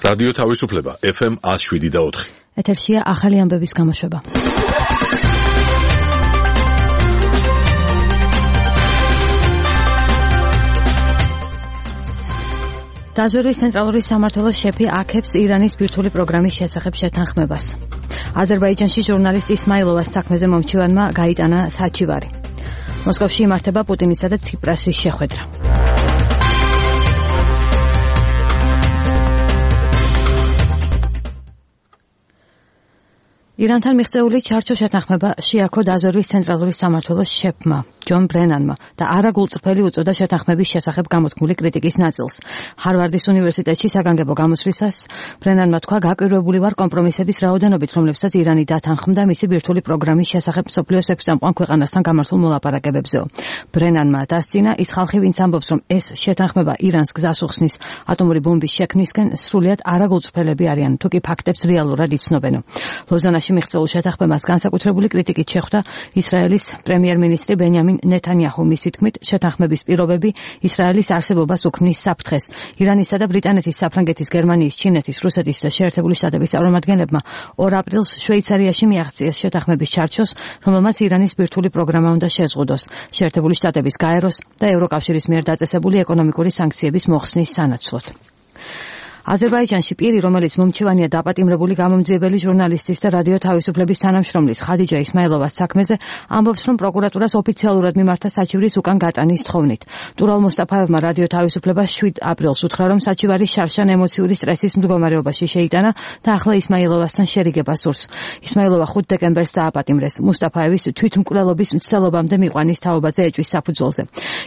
რადიო თავისუფლება FM 107.4. ეთერშია ახალი ამბების გამოშვება. დაზვერვის ცენტრალური სამმართველოს შეფი აქებს ირანის ბირთვული პროგრამის შესახებ შეთანხმებას. აზერბაიჯანში ჟურნალისტ ისმაილოვას საქმეზე მომჩივანმა გაიტანა საჩივარი. მოსკოვში იმართება პუტინისა და ციპრასის შეხვედრა. ირანთან მიღწეული ჩარჩო შეთანხმება შეაქო დაზვერვის ცენტრალური სამმართველოს შეფმა ჯონ ბრენანმა და არაგულწრფელი უწოდა შეთანხმების შესახებ გამოთქმული კრიტიკის ნაწილს. ჰარვარდის უნივერსიტეტში საგანგებო გამოსვლისას ბრენანმა თქვა, გაკვირვებული ვარ კომპრომისების რაოდენობით, რომლებსაც ირანი დათანხმდა მისი ბირთვული პროგრამის შესახებ მსოფლიოს 6 წამყვან ქვეყანასთან გამართულ მოლაპარაკებებზეო. ბრენანმა დასცინა, ის ხალხი, ვინც ამბობს, რომ ეს შეთანხმება ირანს გზას უხსნის ატომური ბომბის შექმნისკენ, სრულიად არაგულწრფელები არიან, თუკი ფაქტებს რეალურად იცნობენო. ლოზანაში მიღწეულ შეთანხმებას განსაკუთრებული კრიტიკით შეხვდა ისრაელის პრემიერ-მინისტრი ბენიამინ ნეთანიაჰუ. მისი თქმით, შეთანხმების პირობები ისრაელის არსებობას უქმნის საფრთხეს. ირანისა და ბრიტანეთის, საფრანგეთის, გერმანიის, ჩინეთის, რუსეთის და შეერთებული შტატების წარმომადგენლებმა 2 აპრილს შვეიცარიაში მიაღწიეს შეთანხმების ჩარჩოს, რომელმაც ირანის ბირთვული პროგრამა უნდა შეზღუდოს, შეერთებული შტატების გაეროს და ევროკავშირის მიერ დაწესებული ეკონომიკური სანქციების მოხსნის სანაცვლოდ. აზერბაიჯანში პირი, რომელიც მომჩივანია დაპატიმრებული გამომძიებელი ჟურნალისტის და რადიო თავისუფლების თანამშრომლის ხადიჯა ისმაილოვას საქმეზე, ამბობს, რომ პროკურატურას ოფიციალურად მიმართა საჩივრის უკან გატანის თხოვნით. ტურალ მოსტაფაევმა რადიო თავისუფლებას 7 აპრილს უთხრა, რომ საჩივარი შარშან ემოციური სტრესის მდგომარეობაში შეიტანა და ახლა ისმაილოვასთან შერიგება სურს. ისმაილოვა 5 დეკემბერს დააპატიმრეს. მუსტაფაევის თვითმკვლელობის მცდელობამდე მიყვანის თაობაზე ეჭვის საფუძველზე.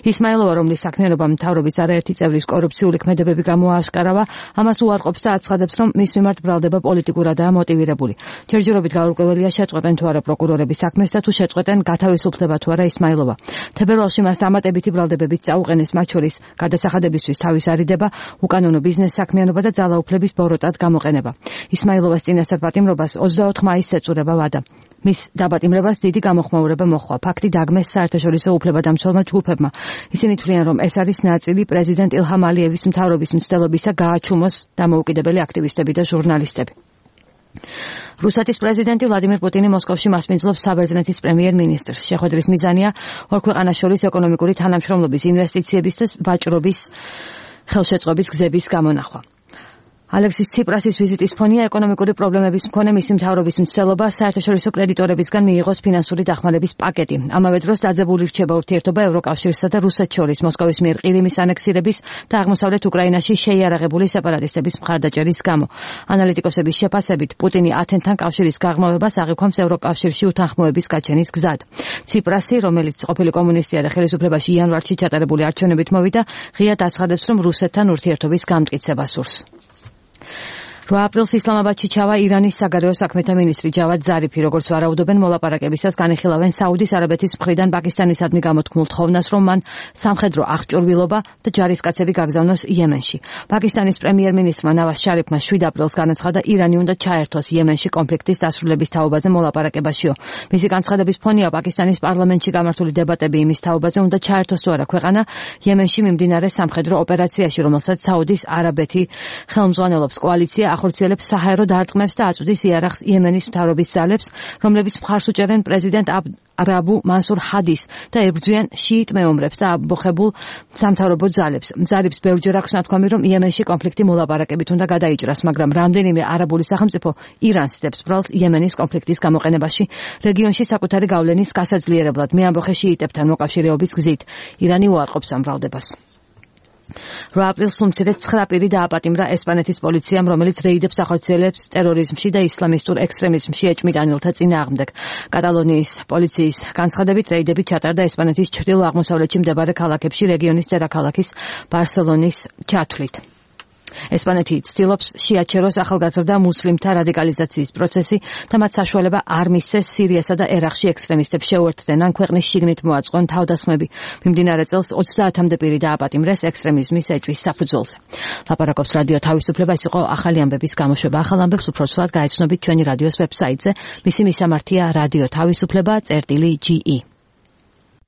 ისმაილოვა, რომლის საქმიანობამ მთავრობის არაერთი წევრის კორუფციული ქმედებები გამოააშკარავა, მას უარყოფს და აცხადებს, რომ მის მიმართ ბრალდება პოლიტიკურადაა მოტივირებული. ჯერჯერობით გაურკვეველია შეწყვეტენ თუ არა პროკურორების საქმეს და თუ შეწყვეტენ გათავისუფლდება თუ არა ისმაილოვა. თებერვალში მას დამატებითი ბრალდებებით წაუყენეს, მათ შორის გადასახადებისთვის თავის არიდება, უკანონო ბიზნეს საქმიანობა და ძალაუფლების ბოროტად გამოყენება. ისმაილოვას წინასწარ პატიმრობას 24 მაისს ეწურება ვადა. მის დაპატიმრებას დიდი გამოხმაურება მოჰყვა. ფაქტი დაგმეს საერთაშორისო უფლებადამცველმა ჯგუფებმა. ისინი თვლიან, რომ ეს არის ნაწილი პრეზიდენტ ილჰამ ალიევის მთავრობის მცდელობისა გააჩუმოს დამოუკიდებელი აქტივისტები და ჟურნალისტები. რუსეთის პრეზიდენტი ვლადიმირ პუტინი მოსკოვში მასპინძლობს საბერძნეთის პრემიერ-მინისტრს. შეხვედრის მიზანია ორ ქვეყანას შორის ეკონომიკური თანამშრომლობის, ინვესტიციების და ვაჭრობის ხელშეწყობის გზების გამონახვა. ალექსის ციპრასის ვიზიტის ფონია ეკონომიკური პრობლემების მქონე მისი მთავრობის მცდელობა საერთაშორისო კრედიტორებისგან მიიღოს ფინანსური დახმარების პაკეტი. ამავე დროს დაძაბული რჩება ურთიერთობა ევროკავშირსა და რუსეთს შორის მოსკოვის მიერ ყირიმის ანექსირების და აღმოსავლეთ უკრაინაში შეიარაღებული სეპარატისტების მხარდაჭერის გამო. ანალიტიკოსების შეფასებით, პუტინი ათენთან კავშირის გაღრმავებას აღიქვამს ევროკავშირში უთანხმოების გაჩენის გზად. ციპრასი, რომელიც ყოფილი კომუნისტია და ხელისუფლებაში იანვარში ჩატარებული არჩევნებით მოვიდა, ღიად აცხადებს, რომ რუსეთთან ურთიერთობის გამტკიცება სურს. 8 აპრილს ისლამაბადში ჩავა ირანის საგარეო საქმეთა მინისტრი ჯავად ზარიფი, როგორც ვარაუდობენ მოლაპარაკებისას განიხილავენ საუდის არაბეთის მხრიდან პაკისტანისადმი გამოთქმულ თხოვნას, რომ მან სამხედრო აღჭურვილობა და ჯარისკაცები გაგზავნოს იემენში. პაკისტანის პრემიერ-მინისტრმა ნავაზ შარიფმა 7 აპრილს განაცხადა, ირანი უნდა ჩაერთოს იემენში კონფლიქტის დასრულების თაობაზე მოლაპარაკებაშიო. მისი განცხადების ფონია პაკისტანის პარლამენტში გამართული დებატები იმის თაობაზე, უნდა ჩაერთოს თუ არა ქვეყანა იემენში მიმდინარე სამხედრო ოპერაციაში, რომელსაც საუდის არაბეთი ხელმძღვანელობს. კოალიცია ახორციელებს საჰაერო დარტყმებს და აწვდის იარაღს იემენის მთავრობის ძალებს, რომლებიც მხარს უჭერენ პრეზიდენტ არაბუ მანსურ ჰადის და ებრძვიან შიიტ მეომრებს და ამბოხებულ სამთავრობო ძალებს. ზარიფს ბევრჯერ აქვს ნათქვამი, რომ იემენში კონფლიქტი მოლაპარაკებით უნდა გადაიჭრას, მაგრამ რამდენიმე არაბული სახელმწიფო ირანს სდებს ბრალს იემენის კონფლიქტის გამოყენებაში, რეგიონში საკუთარი გავლენის გასაძლიერებლად მეამბოხე შიიტებთან მოკავშირეობის გზით. ირანი უარყოფს ამ ბრალდებას. 8 აპრილს უმცირეს 9 პირი დააპატიმრა ესპანეთის პოლიციამ, რომელიც რეიდებს ახორციელებს ტერორიზმში და ისლამისტურ ექსტრემიზმში ეჭვმიტანილთა წინააღმდეგ. კატალონიის პოლიციის განცხადებით, რეიდები ჩატარდა ესპანეთის ჩრდილო-აღმოსავლეთში მდებარე ქალაქებში რეგიონის დედაქალაქის ბარსელონის ჩათვლით. ესპანეთი ცდილობს შეაჩეროს ახალგაზრდა მუსლიმთა რადიკალიზაციის პროცესი და მათ საშუალება არ მისცეს სირიასა და ერაყში ექსტრემისტებს შეუერთდნენ ან ქვეყნის შიგნით მოაწყონ თავდასხმები. მიმდინარე წელს 30-მდე პირი დააპატიმრეს ექსტრემიზმის ეჭვის საფუძველზე. ლაპარაკობს რადიო თავისუფლება, ეს იყო ახალი ამბების გამოშვება. ახალ ამბებს უფრო სრულად გაეცნობით ჩვენი რადიოს ვებსაიტზე. მისი მისამართია რადიო თავისუფლება.ge